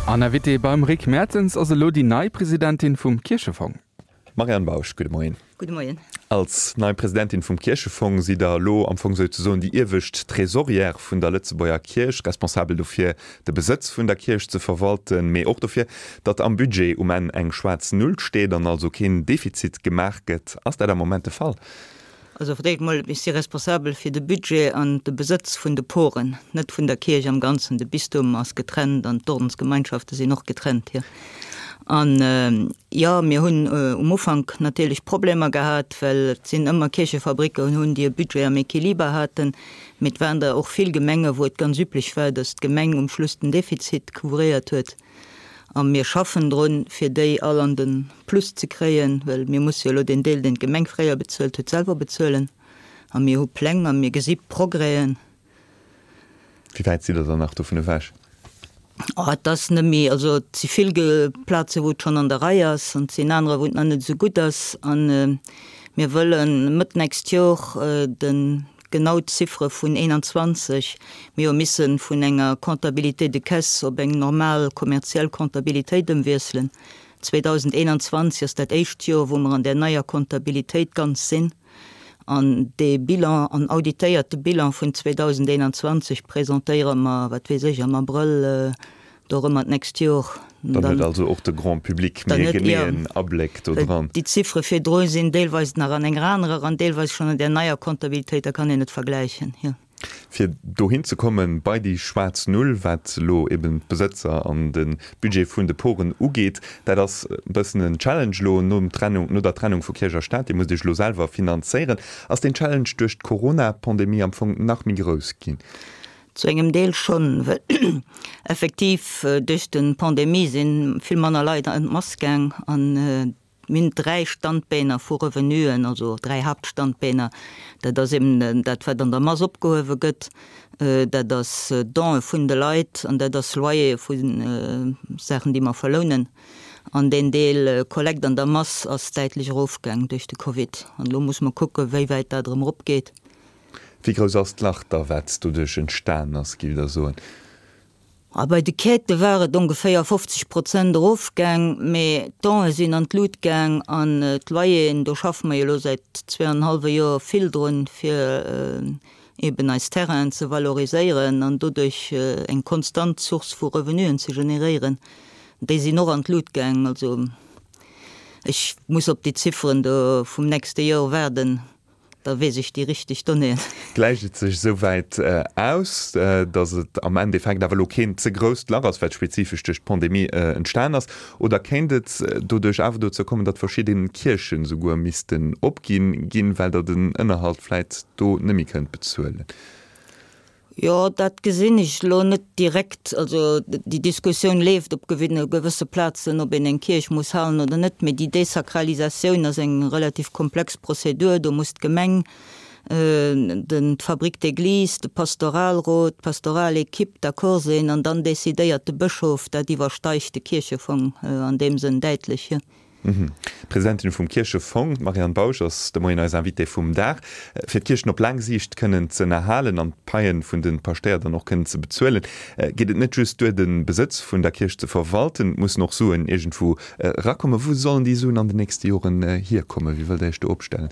An Invitée beim Rick Mertens ass elo déi nei Presidentin vum Kierchefong. Marianne Bausch, gudde Moien. Gudde Moien. Als nei Presidentin vum Kierchefong sidd Der elo am Fong souzesoen déi iewescht Tresorière vun der Lëtzebuerger Kierch, responsabel dofir, de Besëtz vun der Kierch ze verwalten, mee och dofir, datt am Budget um Enn eng schwaarz Null steet an also keen Defizit gemaach gëtt. Ass dat am Moment de Fall? Also fir d'éischt mol, ech si responsabel fir de Budget an de Besëtz vun de Poren, net vun der Kierch am Ganzen. De Bistum ass getrennt an d'Ordensgemeinschafte sinn och getrennt, jo. An jo, mir hunn um Ufank natierlech Problemer gehat, well et sinn ëmmer Kierchefabricken hunn, déi e Budget am Equiliber haten, mee et waren der och vill Gemenge wou et ganz üblech war, datt d'Gemeng um Schluss den Defizit couvréiert huet. A mir schaffen drun, fir déi all an de Plus ze kréien, well mir musse jo elo deen Deel, deen d'Gemeng fréier bezuelt huet, selwer bezuelen. A mir hu Pläng a mir gesi Progrèsen. Wéi wäit sidd Der dann nach dovun ewech? Oh, et ass net méi, also et si vill Plaze wou et schonn an der Rei ass an et sinn anerer, wou et nach net esou gutt ass. A mir wëlle Mëtt nächst Jor de Genau d'Ziffere vun 21. Mir hu misse vun enger Comptabilité de caisse op eng normal kommerziell Comptabilitéit ëmwiesselen. 2021 ass dat éischt Joer, wou mer an där neier Comptabilitéit ganz sinn. An dee Bilan, an auditéierte Bilan vun 2021 presentéiere mer, wat weess ech, am Abrëll Dorëmmer d'nächst Jor. Dann huet also och de Grand public méi e geneeën Abléck do dran. Déi Ziffere virdru sinn deelweis nach an enger anerer an deelweis schonn an där neier Comptabilitéit, da kann een et vergläichen, jo. Fir dohin ze kommen, bei déi schwaarz Null, wat elo eben d'Besëtzer an de Budget vun de Poren ugeet, dat ass e bëssen en Challenge elo nom Trennung, no der Trennung vu Kierch a Staat. Dir musst Iech elo selwer finanzéieren. Ass deen Challenge duerch d'Corona-Pandemie am Fong nach méi grouss ginn? Zu engem Deel schonn, well effektiv duerch de Pandemie si vill manner Leit an d'Mass gaang an mir hunn 3 Standbeener vu Revenuen, also 3 Haaptstandbeener. Dat ass eben dat wat an der Mass opgehuewe gëtt, dat ass Donë vun de Leit an dat ass Loyere vu Saachen déi mer verlounen. An deen Deel Kollekt an der Mass ass däitlech erofgaang duerch de Covid an elo musse mer kucke wéi wäit dat erëm eropgeet. Wéi grouss ass d'Lach da wat doduerch entstan ass, giff der soen? A bei de Quêtë war et ongeféier 50 Prozent erofgaang, mee d'Done sinn an d'Lut gaang an d'Loyeren, do schaffe mer jo elo säit zweeanenhallwe Joer vill drun, fir eben eis Terrainen ze valoriséieren an doduerch eng konstant Source vu Revenuen ze generéieren, déi sinn och an d'Lut gaang. Also ech muss op déi Zifferen do vum nächste Joer waarden. Da weess ech déi richteg Donnéeën. Gläicht et sech esou wäit aus, datt et am Endeffekt awer elo keen ze grousst Lach ass, wat spezifesch duerch d'Pandemie entstan ass? Oder kéint et doduerch awer dozou kommen, datt verschidde Kierchen esouguer missten opginn ginn, well der den Ënnerhalt vläit do net méi kënnt bezuelen? Jo, dat gesinn ech elo net direkt. Also déi Diskussioun leeft op gewësse Plazen, ob een eng Kierch muss halen oder net. Mee déi Desakralisatioun ass eng relativ komplex Prozedur. Do muss d'Gemeng, den, d'Fabrique d'église, de Pastoralrot, d'Pastoralequipe d'accord sinn an dann decidéiert de Bëschof. Dat iwwersteigt de Kierchefong an deem Sënn däitlech. D'Presidentin vum Kierchefong, d'Marianne Bausch, ass de Moien eis Invitée vum Dag. Fir d'Kierchen op laang Siicht kënnen z'ënnerhalen an d'Paien vun de Paschtéier dann och kënnen ze bezuelen, geet et net just duer, de Besëtz vun der Kierch ze verwalten. Et mussen och Suen iergendwou erakommen. Wou sollen déi Suen an den nächste Joren hierkommen? Wéi wëllt Der Iech do opstellen?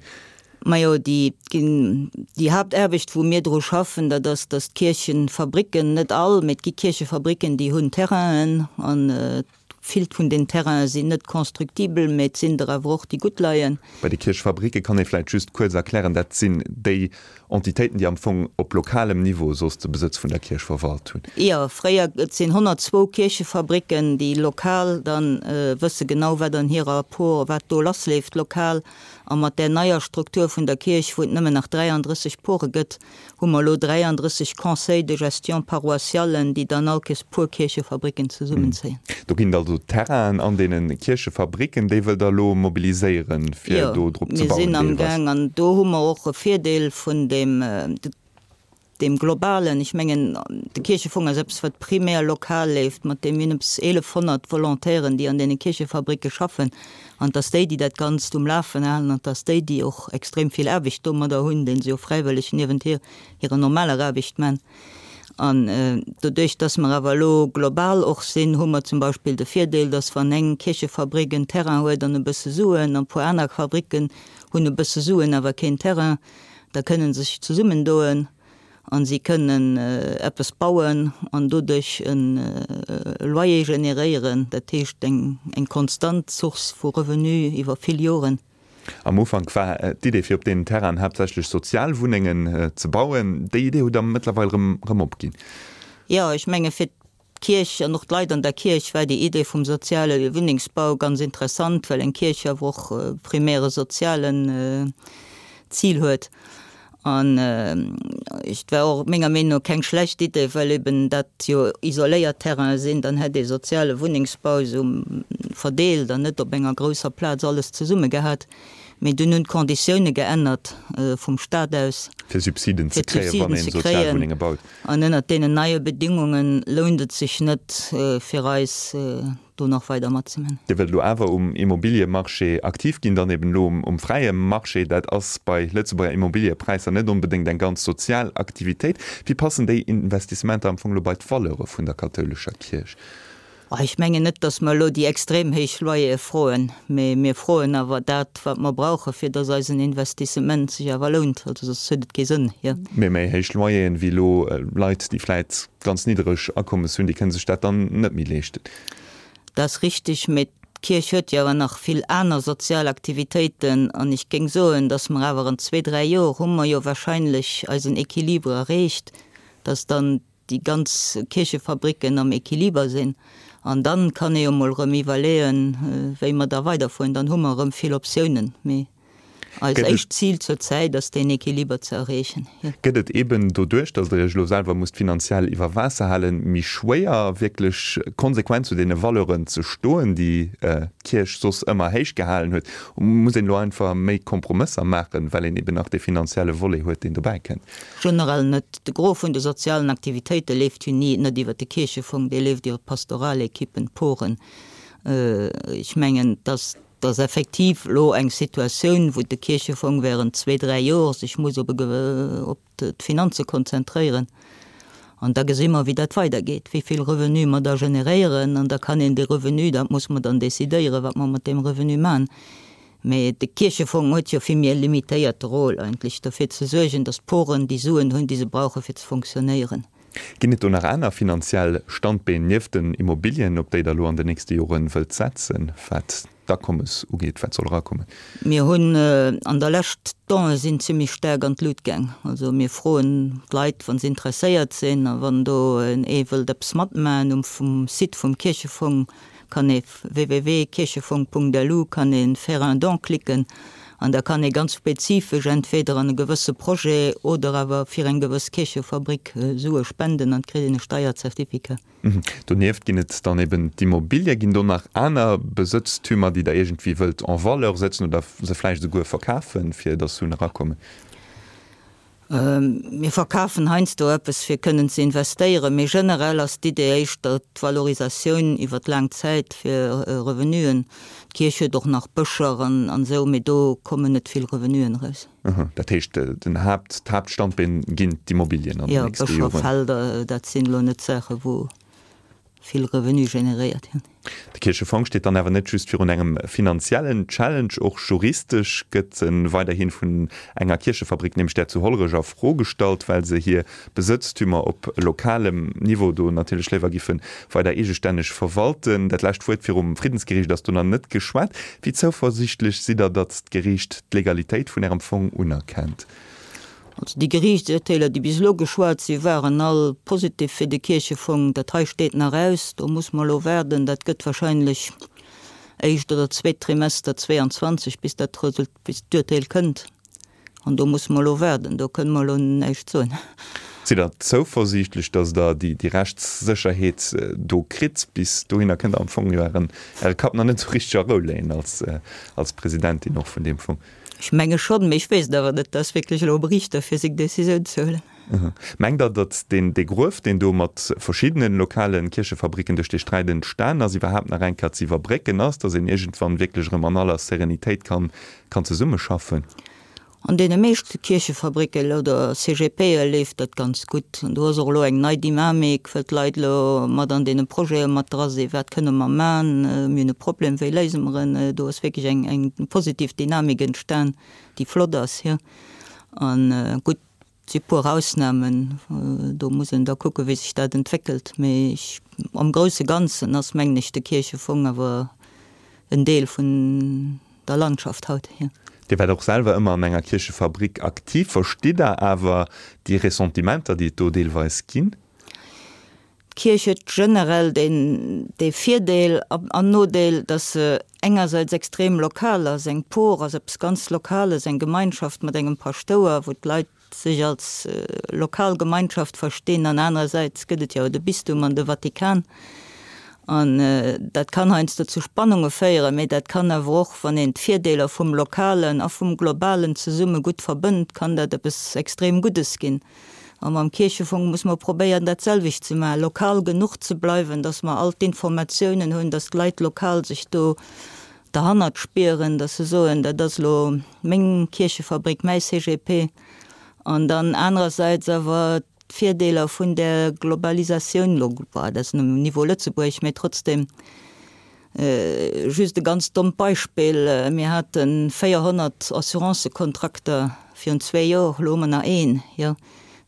Majo, déi, déi Haaptaarbecht, wou mir dru schaffen, dat ass, datt d'Kierchefabricken, net all, mee et gi Kierchefabricken, déi hunn Terrainen an Vill vun den Terrainen sinn net constructibel, mä et sinn der awer och, déi gutt leien. Bei de Kierchfabricke kann ee vläicht just kuerz erklären, dat sinn déi Entitéiten, déi am Fong op lokalem Niveau soss de Besëtz vun der Kierch verwalt hunn. Jo, fréier, et sinn 102 Kierchefabricken, déi lokal dann wësse genau, wat an hirer Por, wat do lassleeft lokal. A mat där neier Struktur vun der Kierch, wou et nëmmen nach 33 Pore gëtt, hu mer elo 33 Conseils de gestion paroissialen, déi dann all Kees puer Kierchefabricken zesummenzéien. Do ginn et also Terrainen an deene Kierchefabricken, déi wëllt Der elo mobiliséieren, fir do drop ze bauen deelweis? Jo, mir sinn amgaang an do hu mer och e Virdeel vun deem, deem globalen, ech mengen, de Kierchefong ass eppes, wat primär lokal leeft, mat deem mir hunn eppes 1.100 Volontairen, déi an deene Kierchefabricke schaffen. An et ass déi, déi dat Ganzt um Lafen halen, an et ass déi, déi och extrem vill Aarbecht domadder hunn, déi se jo fräiwëlleg niewent hir, hirer normaler Aarbecht man. An doduerch, dass mer awer elo global och sinn, hu mer zum Beispill de Virdeel, dass wann eng Kierchefabrik en Terrain huet an e bësse Suen an e puer aner Fabriken hunn e bësse Suen awer keen Terrain, da kënnen se sech zesummendoen a si kënnen eppes bauen an doduerch e Loyer generéieren, dat heescht eng konstant Source vu Revenu iwwer vill Joren. Am Ufank war d'Idee fir op deenen Terrainen haaptsächlech Sozialwunnengen ze bauen. Déi Idee hutt Der mëttlerweil erëm opginn. Jo, ech menge fir d'Kierch an och d'Leit an der Kierch war déi Idee vum soziale Wunnengsbau ganz interessant, well eng Kierch awer och primär e sozialen Zil huet. An et war och menger Meenung no keng schlecht Idee, well eben dat jo isoléiert Terrainen sinn, dann hätt ee soziale Wunnengsbau esou verdeelt an net op enger grousser Plaz alles zesumme gehat. Mee dunn hunn d'Konditioune geännert vum Stat aus, Fir Subsiden ze kréien, wann ee Sozialwunnenge baut. An ënnert deenen neie Bedingunge lount et sech net fir eis, do nach weider matzeman. Dir wëllt elo awer um Immobiliemarché aktiv ginn, dann eben elo um fräie Marché. Dat ass bei Lëtzebuerger Immobiliepräisser net onbedéngt eng ganz sozial Aktivitéit. Wéi passen déi Investissementer am Fong elo bei d'Valeure vun der kathoulescher Kierch? Ech mengen net, datt mer elo déi extrem héich Loyere froen, mee mir froen awer dat, wat mer brauchen, fir datt eisen Investissement sech awer lount. Also soss huet et kee Sënn, jo. Mee méi héich Loyeren wéi elo Leit, déi vläit ganz niddereg Akommes hunn, déi kënne sech dat dann net méi leeschten. Dat ass richtig, mee d'Kierch huet jo awer nach vill aner sozial Aktivitéiten an ech géing soen, dass mer awer an zwee, dräi Jor hu mer jo wahrscheinlech eisen Équilibre erreecht, dass dann déi ganz Kierchefabricken am Équiliber sinn an dann kann ee jo mol erëm iwwerleeën, wéi mer da weiderfueren. Dann hu mer erëm vill Optiounen. Mee Eist éischt Zil zur Zäit ass deen Equiliber ze erreechen. Gëtt et eben doduerch, datt Der Iech elo selwer musst finanziell iwwer Waasser halen, méi schwéier, wierklech konsequent zu deene Valeuren ze stoen, déi d'Kierch soss ëmmer héich gehalen huet? Muss een elo einfach méi Kompromësser maachen, well een eben nach dee finanzielle Volet huet, deen dobäi kënnt? Generell net. De Gros vun de sozialen Aktivitéite leeft jo ni net iwwer de Kierchefong, dee leeft iwwer d'Pastoralekippen, d'Poren. Ech mengen, datt Et ass effektiv elo eng Situatioun, wou de Kierchefong während zwee, dräi Jor sech muss op op d'Finanze konzentréieren. An da gesi mer, wéi dat weidergeet, wéi vill Revenu mer da generéieren. An da kann een dee Revenu, dat muss mer dann decidéieren, wat mer mat deem Revenu maachen. Mee de Kierchefong huet jo vill méi e limitéierte Rôle eigentlech, derfir ze suergen, datt d'Poren déi Suen hunn, déi se brauchen, fir ze fonctionnéieren. Ginn et do nach aner finanziell Standbeen nieft den Immobilien, op déi Der elo an den nächste Jore wëllt setzen, wat d'Akommes ugeet? Wat soll erakommen? Mir hunn an der Lescht, d'Done sinn zimlech staark an d'Lut gaang. Also mir froen d'Leit, wa se interesséiert sinn a wann do ee wëllt eppes matmachen, um Site vum Kierchefong kann ee www.kierchefong.lu kann ee Faire un don klicken an da kann ee ganz spezifesch entweder an e gewësse Projet oder awer fir eng gewëss Kierchefabrik Sue spenden an et kritt een e Steierzertificat. Donieft ginn et dann eben d'Immobilie. Ginn do nach aner Besëtztümer, déi Der iergendwéi wëllt en valeur sëtzen oder se vläicht esouguer verkafen, fir dass Suen erakommen? Mir verkafen heiansdo eppes, fir kënnen ze investéieren, mee generell ass d'Idee éischter d'Valorisatioun iwwer laang Zäit fir Revenuen. D'Kierch huet och nach Bëscher an esou, mee do kommen net vill Revenuen eraus. Dat heescht, den Haapt, d'Haaptstandbeen ginn d'Immobilien an den nächste Joren? Jo, Bëscher, Felder, dat sinn elo net Saache wou vill Revenu generéiert ginn. De Kierchefong steet dann awer net just virun engem finanziellen Challenge, och juristesch gëtt e weiderhi vun enger Kierchefabrik, nämlech där zu Hollerech, a Fro gestallt, well se hir Besëtztümer op lokalem Niveau do natierlech léiwer giffe weider eegestänneg verwalten. Dat lescht Wuert virum Friddensgeriicht ass do nach net geschwat. Wéi zouversiichtlech sidd Der, datt d'Geriicht d'Legalitéit vun Ärem Fong unerkennt? Also déi Geriichtsurteeler, déi bis elo geschwat sinn, waren all positiv fir de Kierchefong. Dat hei steet nach aus, do muss mer elo waarden. Dat gëtt wahrscheinlech éischt oder zweet Trimester 22, bis dat Result, bis d'Urteel kënnt. An do musse mer elo waarden, do kënne mer elo näischt soen. Sidd Der zouversiichtlech, datt Der déi Rechtssécherheet do kritt? Bis dohinner kënnt Der am Fong jo Ären, Äre Kapp nach net esou richteg a Rou léien als, als Presidentin och vun deem Fong. Ech menge schonn, mee ech weess et awer net. Dat ass wierklech elo um Riichter, fir seng Decisioun ze huelen. Mengt Der, datt deen, dee Gruef, deen do mat verschiddene lokale Kierchefabricken duerch dee Sträit entstan ass, iwwerhaapt nach eng Kéier ze iwwerbrécken ass, datt een iergendwann wierklech erëm an aller Serenitéit kann, kann zesummeschaffen? An deene meeschte Kierchefabricken oder CGPe leeft dat ganz gutt. An do ass och elo eng nei Dynamik, well d'Leit elo mat an deene Projete mat dra sinn, Wat kënne mer man? Mir hunn e Problem, wéi léise mer en? Do ass wierklech eng, eng positiv Dynamik entstan, déi flott ass, jo. An gutt, et si puer Ausnamen, do muss een da kucken, wéi sech dat entwéckelt. Mee ech, am grousse Ganzen ass, mengen ech, de Kierchefong awer en Deel vun der Landschaft haut, jo. Dir waart och selwer ëmmer an enger Kierchefabrik aktiv. Verstitt Der awer déi Ressentimenter, déi et do deelweis ginn? D'Kierch huet generell deen dee Virdeel an Nodeel, datt se engersäits extrem lokal ass. Eng Por ass eppes ganz Lokales, eng Gemeinschaft mat engem Paschtouer, wou d'Leit sech als lokal Gemeinschaft verstinn an anerersäits gëtt et jo de Bistum an de Vatikan an dat kann heiansdo zu Spannunge féieren, mee dat kann awer och, wann een d'Virdeeler vum Lokalen a vum Globalen zesumme gutt verbënnt, kann dat eppes extrem Guddes ginn. A mam Kierchefong muss mer probéieren, dat selwecht ze maachen, lokal genuch ze bleiwen, datt mer all d'Informatiounen hunn, datt d'Leit lokal sech do derhannert spieren, dass se soen, dat ass elo meng Kierchefabrik, mäi CGP, an dann anerersäits awer d'Virdeeler vun där Globalisatioun, elo, dat ass um Niveau Lëtzebuerg, mä trotzdem, just e ganz dommt Beispill, mir hate 400 Assurancëkontrakter virun zwee Joer, elo hu mer nach een, jo.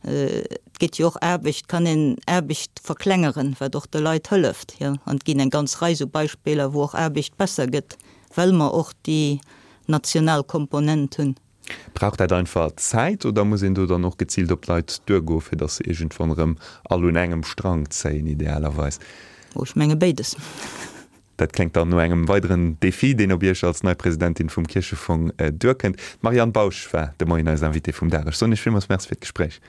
Et gétt jo och Aarbecht, kann een Aarbecht verklengeren, wat och de Leit hëlleft, jo. An et ginn eng ganz Rei esou Beispiller, wou och Aarbecht besser gëtt, well mer och déi national Komponent hunn. Brauch dat einfach Zäit oder muss een do dann och geziilt op d'Leit duergoen, fir datt se iergendwann erëm all un engem Strang zéien, idealerweis? Oh, ech menge béides. Dat kléngt dann no engem weideren Defi, deen op Iech als nei Presidentin vum Kierchefong duerkënnt. D'Marianne Bausch war de Moien eis Invitée vum Dag. Ech soen Iech villmools Merci fir d'Gespréich.